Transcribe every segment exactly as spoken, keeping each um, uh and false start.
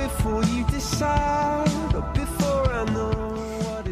before you decide, or before I know.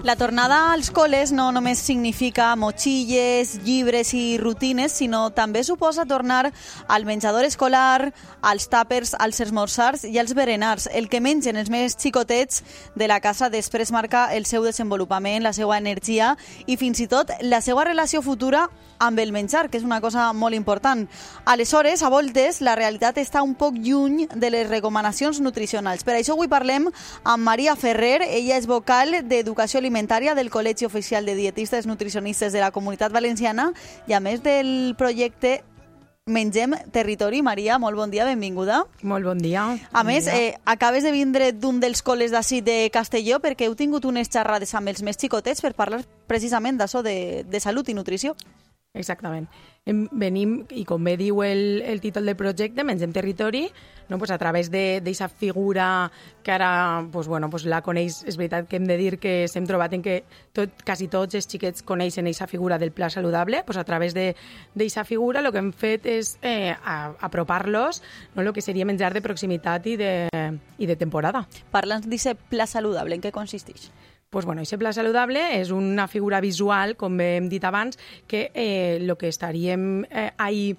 La tornada als col·les no només significa motxilles, llibres i rutines, sinó també suposa tornar al menjador escolar, als tàpers, als esmorzars i als berenars. El que mengen els més xicotets de la casa després marca el seu desenvolupament, la seva energia i fins i tot la seva relació futura amb el menjar, que és una cosa molt important. Aleshores, a voltes, la realitat està un poc lluny de les recomanacions nutricionals. Per això avui parlem amb Maria Ferrer. Ella és vocal d'Educació Alimentària del Col·legi Oficial de Dietistes Nutricionistes de la Comunitat Valenciana i a més del projecte Mengem Territori. Maria, molt bon dia, benvinguda. Molt bon dia. A bon més, dia. Eh, acabes de vindre d'un dels col·les d'ací de Castelló perquè heu tingut unes xerrades amb els més xicotets per parlar precisament d'això de, de salut i nutrició. Exactament. Venim, i com bé diu el, el títol del projecte, Mengem Territori, no? Pues a través d'aquesta figura que ara pues, bueno, pues la coneix, és veritat que hem de dir que s'hem trobat en que tot, quasi tots els xiquets coneixen aquesta figura del pla saludable, pues a través d'aquesta figura el que hem fet és eh, apropar-los no, el que seria menjar de proximitat i de, i de temporada. Parla'ns d'aquest pla saludable, en què consisteix? Pues bueno, aquest pla saludable és una figura visual, com hem dit abans, que eh, el que estaríem eh, ahí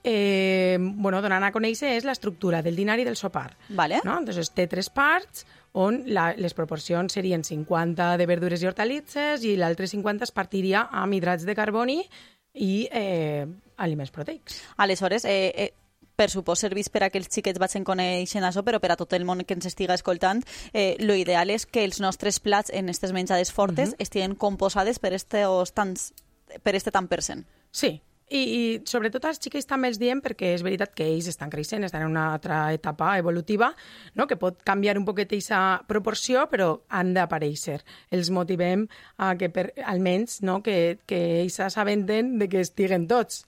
eh, bueno, donant a conèixer és l'estructura del dinar i del sopar. Vale. No? Entonces, té tres parts on la, les proporcions serien cinquanta de verdures i hortalisses i l'altre cinquanta es partiria amb hidrats de carboni i eh, aliments proteics. Aleshores, eh, eh, per supòs servís per a que els xiquets vagin coneixent això, però per a tot el món que ens estiga escoltant, eh, lo ideal és que els nostres plats en aquestes menjades fortes uh-huh. estiguen composades per este, tants, per este tant per cent. Sí, i, i sobretot als xiquets també els diem perquè és veritat que ells estan creixent, estan en una altra etapa evolutiva, no? Que pot canviar un poquet aquesta proporció, però han d'aparèixer. Els motivem a que per, almenys no? que, que ells s'assabenten de que estiguen tots.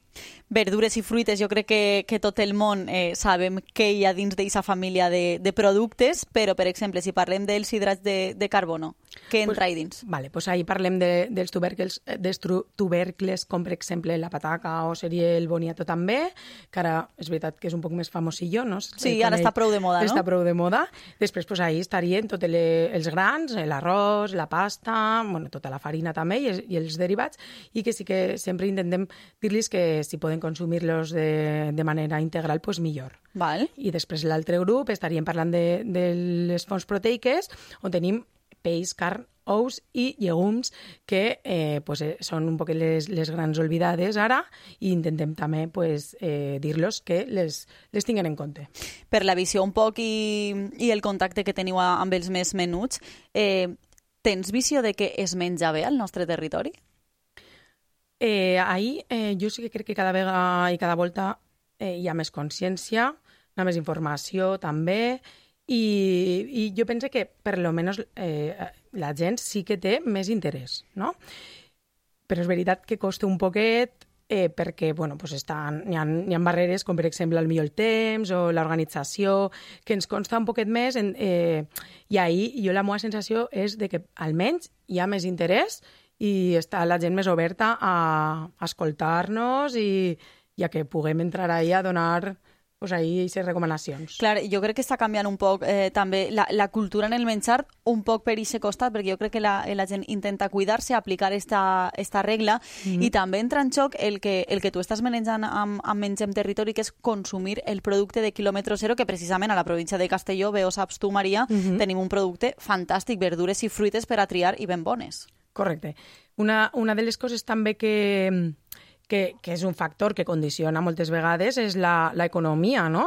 Verdures i fruites, jo crec que, que tot el món eh, sabem què hi ha dins d'aquesta família de, de productes, però, per exemple, si parlem dels hidrats de, de carbono, què entra ahí dins? Vale, pues ahí parlem de, dels, tubercles, dels tubercles, com per exemple la pataca o seria el boniato també, que ara és veritat que és un poc més famosillo, no? Sí, ara està prou de moda, no? Està prou de moda. Després, pues ahí estarien tots els grans, l'arròs, la pasta, bueno, tota la farina també i, i els derivats, i que sí que sempre intentem dir-los que si poden consumir-los de, de manera integral, pues millor. Val. I després l'altre grup estaríem parlant de, de les fonts proteiques, on tenim peix, carn, ous i llegums, que eh, pues, eh, són un poc les, les grans oblidades ara, i intentem també pues, eh, dir-los que les, les tinguen en compte. Per la visió un poc i, i el contacte que teniu amb els més menuts, eh, tens visió de que es menja bé al nostre territori? Eh, ahí eh, jo sí que crec que cada vegada i cada volta eh, hi ha més consciència, hi ha més informació també, i, i jo penso que per lo menos eh, la gent sí que té més interès, no? Però és veritat que costa un poquet eh, perquè bueno, pues estan, hi, ha, hi ha barreres com per exemple el millor temps o l'organització que ens consta un poquet més en, eh, i ahí jo la meva sensació és de que almenys hi ha més interès i està la gent més oberta a, a escoltar-nos i, i a que puguem entrar ahí a donar pues, ahí aquestes recomanacions. Clar, jo crec que està canviant un poc eh, també la, la cultura en el menjar, un poc per aquest costat, perquè jo crec que la, la gent intenta cuidar-se, aplicar esta, esta regla, mm-hmm. i també entra en xoc el que, el que tu estàs manejant amb, amb Mengem Territori, que és consumir el producte de quilòmetre zero, que precisament a la província de Castelló, bé ho saps tu, Maria, mm-hmm. tenim un producte fantàstic, verdures i fruites per a triar i ben bones. Correcte. Una, una de les coses també que, que, que és un factor que condiciona moltes vegades és l'economia, no?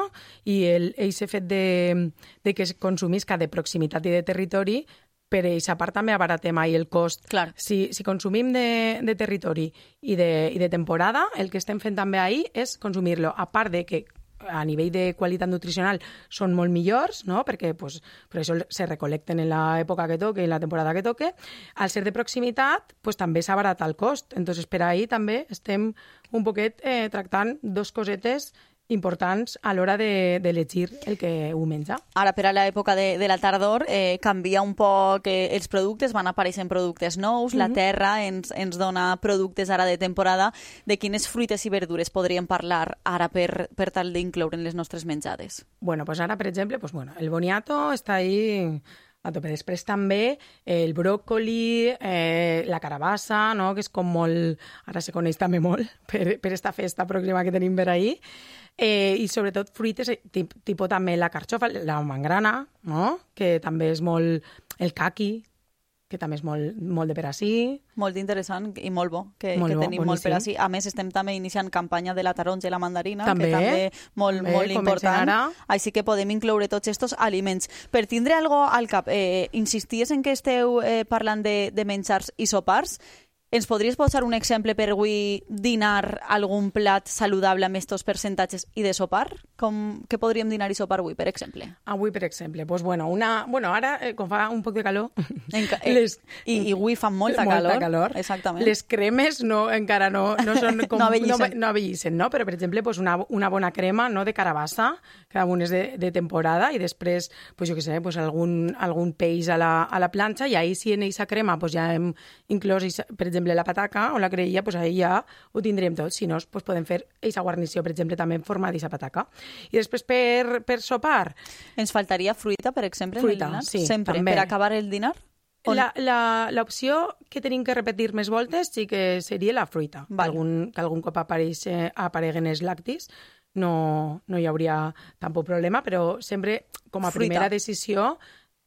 I aquest fet de, de que es consumisca de proximitat i de territori, per aquesta part també abaratem mai el cost. Clar. Si, si consumim de, de territori i de, i de temporada, el que estem fent també ahir és consumir-lo, a part de que a nivell de qualitat nutricional són molt millors, no? Perquè pues, per això se recolecten en l'època que toque, en la temporada que toque. Al ser de proximitat, pues, també s'abarata el cost. Entonces, per ahí també estem un poquet eh, tractant dos cosetes importants a l'hora de, d'elegir el que ho menja. Ara, per a l'època de, de la tardor, eh, canvia un poc eh, els productes, van apareixent productes nous, mm-hmm. la terra ens, ens dona productes ara de temporada. De quines fruites i verdures podríem parlar ara per, per tal d'incloure en les nostres menjades? Bueno, pues ara, per exemple, pues bueno, el boniato està ahí a tope. Després també el bròcoli, eh, la carabassa, no? Que és com molt... Ara se coneix també molt per, per esta festa pròxima que tenim per ahir. Eh, I sobretot fruites, tip, tipus també la carxofa, la mangrana, no? Que també és molt... El caqui, que també és molt, molt de per ací. Molt interessant i molt bo, que, molt que bo, tenim boníssim. Molt per ací. A més, estem també iniciant campanya de la taronja i la mandarina, també, que també molt, també, molt important. Ara. Així que podem incloure tots aquests aliments. Per tindre algo al cap, eh, insisties en que esteu eh, parlant de, de menjars i sopars. Ens podries posar un exemple per avui dinar algun plat saludable amb estos percentatges i de sopar? Com, què podríem dinar i sopar avui, per exemple? Avui, per exemple, pues bueno, una, bueno ara, eh, com fa un poc de calor... Enca eh, les, i, I avui fa molta, molta calor. calor. Exactament. Les cremes no, encara no, no són com... no avellissen. No, no avellissen, no? Però, per exemple, pues una, una bona crema, no?, de carabassa, que un és de, de temporada, i després, pues jo què sé, pues algun, algun peix a la, a la planxa, i ahí sí en aquesta crema pues ja hem inclòs, per exemple, la pataca o la creïlla, pues ahí ja ho tindrem tot. Si no, pues podem fer aquesta guarnició, per exemple, també en forma d'aquesta pataca. I després per, per sopar... Ens faltaria fruita, per exemple, fruita, en el dinar? Sí, sempre, també. Per acabar el dinar? L'opció que tenim que repetir més voltes sí que seria la fruita. Vale. Algun, que algun cop apareix, apareguen els lactis, no, no hi hauria tampoc problema, però sempre, com a fruita. primera decisió,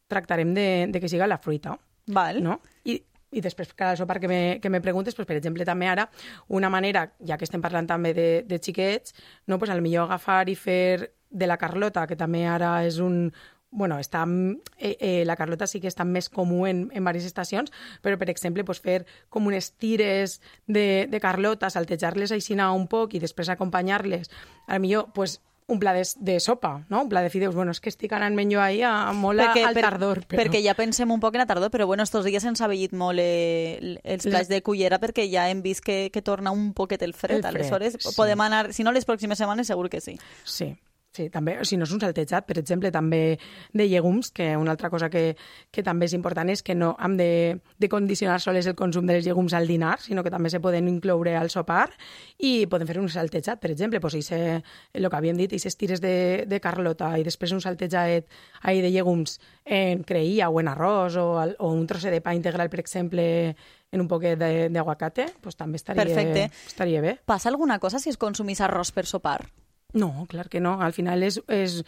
tractarem de, de que siga la fruita. Val. No? I, I després, cada sopar que me, que me preguntes, pues, per exemple, també ara, una manera, ja que estem parlant també de, de xiquets, no, pues, al millor agafar i fer de la Carlota, que també ara és un... Bueno, està, eh, eh, la Carlota sí que està més comú en, en diverses estacions, però, per exemple, pues, fer com unes tires de, de Carlota, saltejar-les així un poc i després acompanyar-les, al millor, pues, un pla de, de sopa, no? Un pla de fideus. Bueno, és que estic anant menys ahir a, molt perquè, al tardor. Per, però... Perquè ja pensem un poc en la tardor, però bueno, estos dies ens ha vellit molt eh, els plats de cullera perquè ja hem vist que, que torna un poquet el fred. El fred Aleshores, sí. Podem anar, si no les pròximes setmanes, segur que sí. Sí. Sí, també, si no és un saltejat, per exemple, també de llegums, que una altra cosa que, que també és important és que no hem de, de condicionar sols el consum dels llegums al dinar, sinó que també se poden incloure al sopar i podem fer un saltejat, per exemple, pues, ese, el que havíem dit, aquestes tires de, de Carlota i després un saltejat ahí de llegums en creïlla o en arròs o, al, o un trosset de pa integral, per exemple, en un poquet d'aguacate, pues, també estaria, Perfecte. estaria bé. Passa alguna cosa si es consumís arròs per sopar? No, clar que no. Al final és, és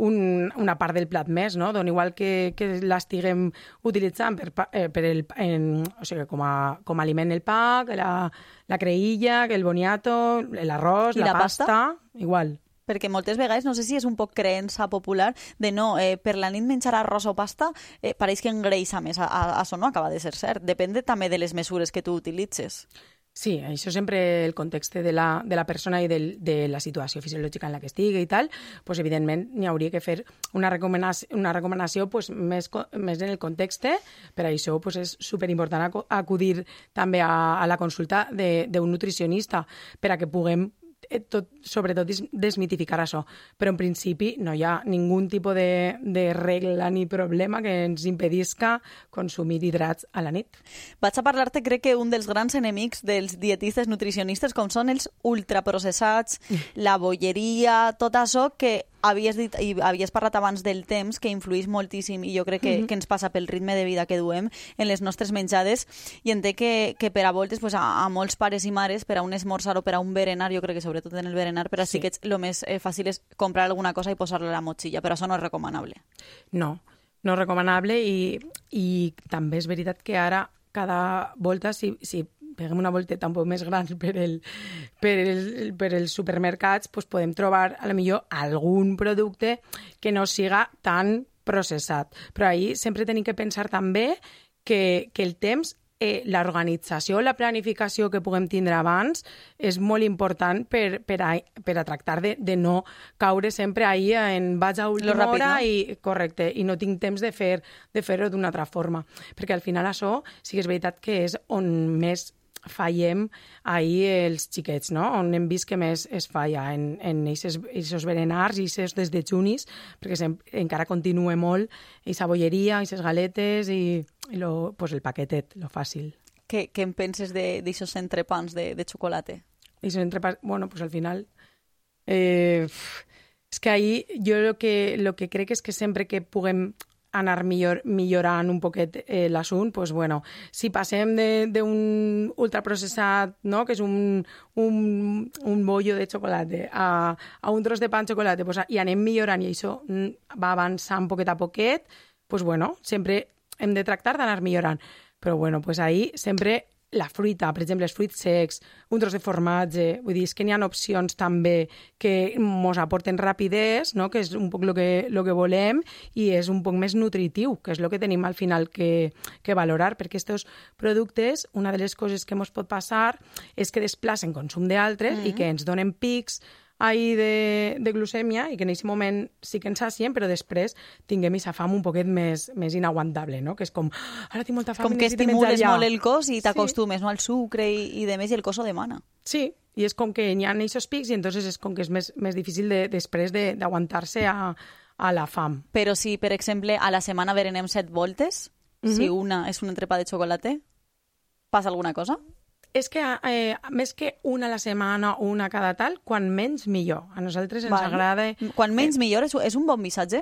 un, una part del plat més, no? Don igual que, que l'estiguem utilitzant per, eh, per el, en, o sigui, com, a, com a aliment el pa, que la, la creïlla, que el boniato, l'arròs, la, la pasta, pasta, igual. Perquè moltes vegades, no sé si és un poc creença popular, de no, eh, per la nit menjar arròs o pasta eh, pareix que engreixa més. A, a, això no acaba de ser cert. Depèn de, també de les mesures que tu utilitzes. Sí, això sempre el context de la, de la persona i del, de la situació fisiològica en la que estigui i tal, pues, evidentment n'hi hauria que fer una recomanació, una recomanació pues, més, més en el context. Per això pues, és superimportant acudir també a, a la consulta d'un nutricionista per a que puguem tot, sobretot desmitificar això. Però en principi no hi ha ningú tipus de, de regla ni problema que ens impedisca consumir hidrats a la nit. Vaig a parlar-te, crec que un dels grans enemics dels dietistes nutricionistes, com són els ultraprocessats, la bolleria, tot això que havies dit i havies parlat abans del temps, que influïx moltíssim i jo crec que, mm-hmm. que ens passa pel ritme de vida que duem en les nostres menjades, i entenc que, que per a voltes pues, a, a molts pares i mares, per a un esmorzar o per a un berenar, jo crec que sobretot en el berenar, per a sí. xiquets el més eh, fàcil és comprar alguna cosa i posar-la a la motxilla, però això no és recomanable. No, no és recomanable i, i també és veritat que ara cada volta, si, si peguem una volteta un poc més gran per, el, per, el, per els supermercats, pues podem trobar a lo millor algun producte que no siga tan processat. Però ahí sempre tenim que pensar també que, que el temps, eh, l'organització, la planificació que puguem tindre abans és molt important per, per, a, per a tractar de, de no caure sempre ahí en vaig a última ràpid, hora no? i, correcte, i no tinc temps de fer de fer-ho d'una altra forma. Perquè al final això sí que és veritat que és on més fallem ahir els xiquets, no? On hem vist que més es falla en, en aquests berenars i aquests desdejunis, perquè sem- encara continua molt aquesta bolleria, aquestes galetes i, i lo, pues el paquetet, lo fàcil. Què, què en penses d'aixòs entrepans de, de xocolata? I esos entrepans, bueno, pues al final... Eh, és que ahí jo lo que, lo que crec és que sempre que puguem anar millor, millorant un poquet eh, l'assunt, pues bueno, si passem d'un ultraprocessat, no?, que és un, un, un bollo de xocolata, a, a un tros de pa amb xocolata, pues, i anem millorant i això va avançant poquet a poquet, pues bueno, sempre hem de tractar d'anar millorant. Però bueno, pues ahí sempre la fruita, per exemple, els fruits secs, un tros de formatge, vull dir, és que n'hi ha opcions també que mos aporten rapidesa, no?, que és un poc el que, lo que volem i és un poc més nutritiu, que és el que tenim al final que, que valorar, perquè aquests productes, una de les coses que mos pot passar és que desplacen consum d'altres mm-hmm. i que ens donen pics ahí de, de glucèmia i que en aquest moment sí que ens sacien, però després tinguem aquesta fam un poquet més, més inaguantable, no? Que és com, ara tinc molta fam com i que necessito menjar estimules ja. molt el cos i t'acostumes sí. no, al sucre i, i de més i el cos ho demana. Sí, i és com que n'hi ha aquests pics i entonces és com que és més, més difícil de, després d'aguantar-se a, a la fam. Però si, per exemple, a la setmana berenem set voltes, mm-hmm. si una és un entrepà de xocolata, passa alguna cosa? És que eh, més que una a la setmana o una cada tal, quan menys millor. A nosaltres ens vale. agrada... Quan menys eh, millor és, és un bon missatge?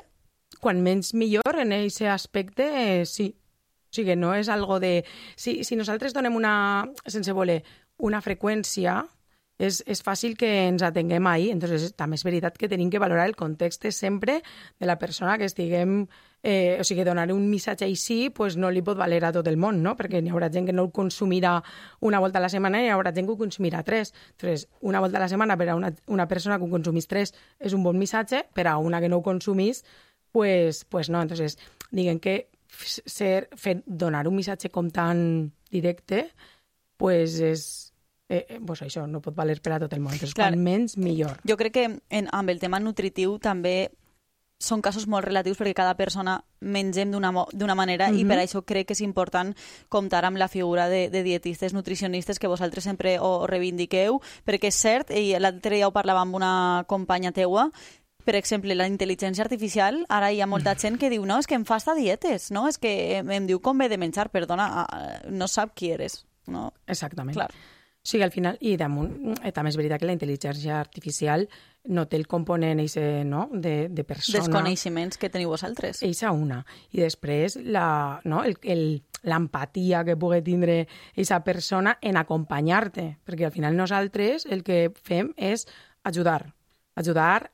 Quan menys millor en aquest aspecte, eh, sí. O sigui, no és algo de... Si, si nosaltres donem una, sense voler, una freqüència, és, és fàcil que ens atenguem ahí. Entonces, també és veritat que tenim que valorar el context sempre de la persona que estiguem... Eh, o sigui, donar un missatge així pues no li pot valer a tot el món, no? Perquè n'hi haurà gent que no el consumirà una volta a la setmana i n'hi haurà gent que ho consumirà tres. Entonces, una volta a la setmana per a una, una persona que ho consumís tres és un bon missatge, per a una que no ho consumís, pues, pues no. Entonces, diguem que ser, fer, donar un missatge com tan directe, pues és... Eh, eh, pues això no pot valer per a tot el món. Entonces, Clar, quan menys, millor. Jo crec que en, amb el tema nutritiu també són casos molt relatius perquè cada persona mengem d'una d'una manera mm-hmm. i per això crec que és important comptar amb la figura de, de dietistes, nutricionistes que vosaltres sempre ho reivindiqueu, perquè és cert, i l'altre dia ho parlava amb una companya teua, per exemple, la intel·ligència artificial, ara hi ha molta gent que diu, no, és que em fa esta dietes, no? És que em diu com ve de menjar, perdona, no sap qui eres, no? Exactament. Clar. O sigui, al final, i damunt, eh, també és veritat que la intel·ligència artificial no té el component eixe, no? de, de persona. Dels coneixements que teniu vosaltres. Eixa una. I després la, no? el, el, l'empatia que pugui tindre eixa persona en acompanyar-te. Perquè al final nosaltres el que fem és ajudar. Ajudar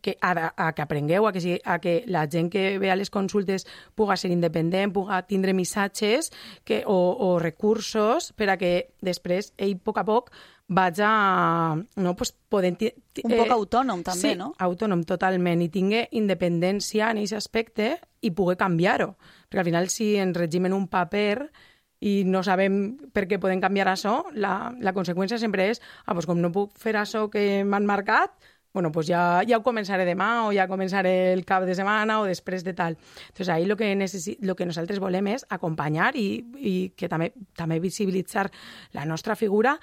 que, a, a que aprengueu, a que, a que la gent que ve a les consultes puga ser independent, puga tindre missatges que, o, o recursos per a que després ell, a poc a poc, vaig a... No, pues, poden, eh, un poc autònom, també, sí, no? autònom, totalment, i tingui independència en aquest aspecte i pugui canviar-ho. Perquè al final, si ens regim en un paper i no sabem per què podem canviar això, la, la conseqüència sempre és ah, pues, com no puc fer això que m'han marcat, bueno, pues ja, ja ho començaré demà o ja començaré el cap de setmana o després de tal. Entonces, ahí lo que, necessi- lo que nosaltres volem és acompanyar i, i que també, també visibilitzar la nostra figura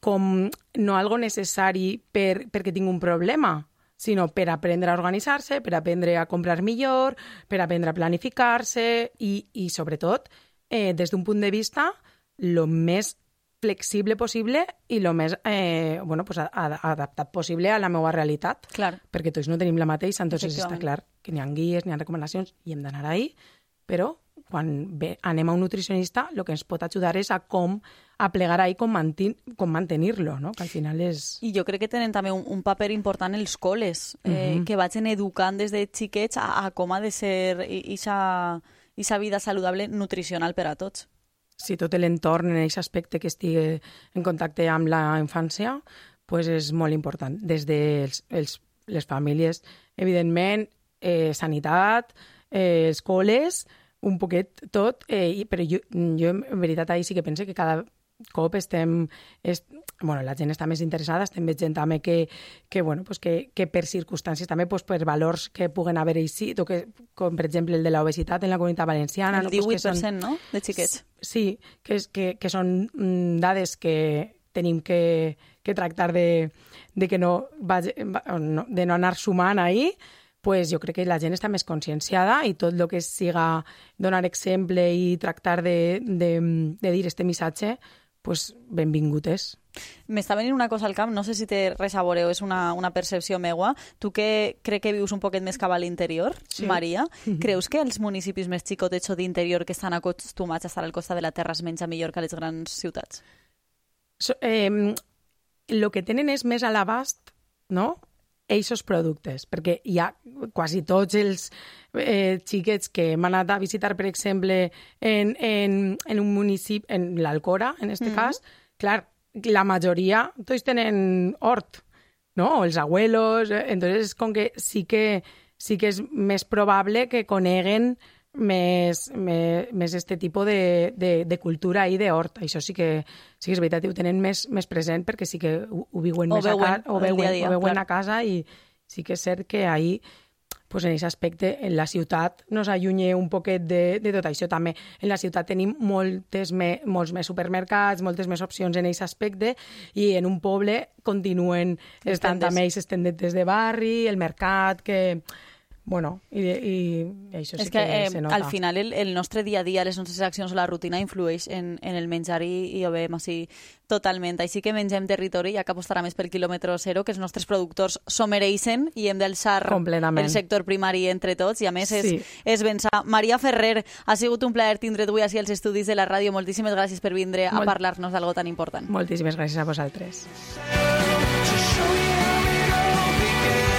com no algo necessari per, perquè tinc un problema, sinó per aprendre a organitzar-se, per aprendre a comprar millor, per aprendre a planificar-se i, i sobretot, eh, des d'un punt de vista, lo més flexible possible i el més eh, bueno, pues, adaptat possible a la meva realitat. Clar. Perquè tots no tenim la mateixa, entonces està clar que n'hi ha guies, n'hi ha recomanacions i hem d'anar ahí, però quan bé, anem a un nutricionista el que ens pot ajudar és a com a plegar ahí com, mantin, com mantenir-lo, no? Que al final és... I jo crec que tenen també un, un paper important els col·les, eh, uh-huh. que vagin educant des de xiquets a, a com ha de ser aquesta vida saludable nutricional per a tots. Si tot l'entorn en aquest aspecte que estigui en contacte amb la infància, pues és molt important. Des de els, els, les famílies, evidentment, eh, sanitat, eh, escoles, un poquet tot, eh, però jo, jo en veritat ahí sí que penso que cada cop estem... Est, bueno, la gent està més interessada, estem veient també que, que, bueno, pues que, que per circumstàncies, també pues per valors que puguen haver així, o que, com per exemple el de l'obesitat en la Comunitat Valenciana. El no? divuit per cent, pues que són, no?, de xiquets. Sí, que, que, que són mm, dades que tenim que, que tractar de, de que no, vagi, no, de no anar sumant ahí, pues jo crec que la gent està més conscienciada i tot el que siga donar exemple i tractar de, de, de dir este missatge, pues benvingut és. M'està venint una cosa al cap, no sé si té res a veure o és una, una percepció meua. Tu que crec que vius un poquet més cap a l'interior, sí. Maria, creus que els municipis més xicotets o d'interior que estan acostumats a estar al costat de la terra es menja millor que a les grans ciutats? So, eh, lo que tenen és més a l'abast, no?, eixos productes, perquè hi ha quasi tots els eh, xiquets que hem anat a visitar, per exemple, en, en, en un municipi, en l'Alcora, en este mm-hmm. cas, clar, la majoria tots tenen hort, no?, o els abuelos, eh? Entonces, com que sí que sí que és més probable que coneguen més, més, més este tipus de, de, de cultura i d'hort. Això sí que, sí que és veritat, ho tenen més, més present perquè sí que ho, ho viuen o més veuen, a casa, o veuen, dia a dia, o veuen clar. a casa i sí que és cert que ahí, pues en aquest aspecte, en la ciutat nos allunya un poquet de, de tot això. També en la ciutat tenim moltes me, molts més supermercats, moltes més opcions en aquest aspecte i en un poble continuen estant també aquestes tendetes de barri, el mercat, que... Bueno, i, i això sí és que, que eh, se nota. al final el, el nostre dia a dia, les nostres accions o la rutina influeix en, en el menjar i, i ho veiem així totalment. Així que mengem territori, ja que apostarà més per quilòmetre zero, que els nostres productors s'ho mereixen i hem d'alçar el sector primari entre tots i a més és, sí. és pensar. Maria Ferrer, ha sigut un plaer tindre't avui així als estudis de la ràdio. Moltíssimes gràcies per vindre Molt... a parlar-nos d'algo tan important. Moltíssimes gràcies a vosaltres. To show you how it all began.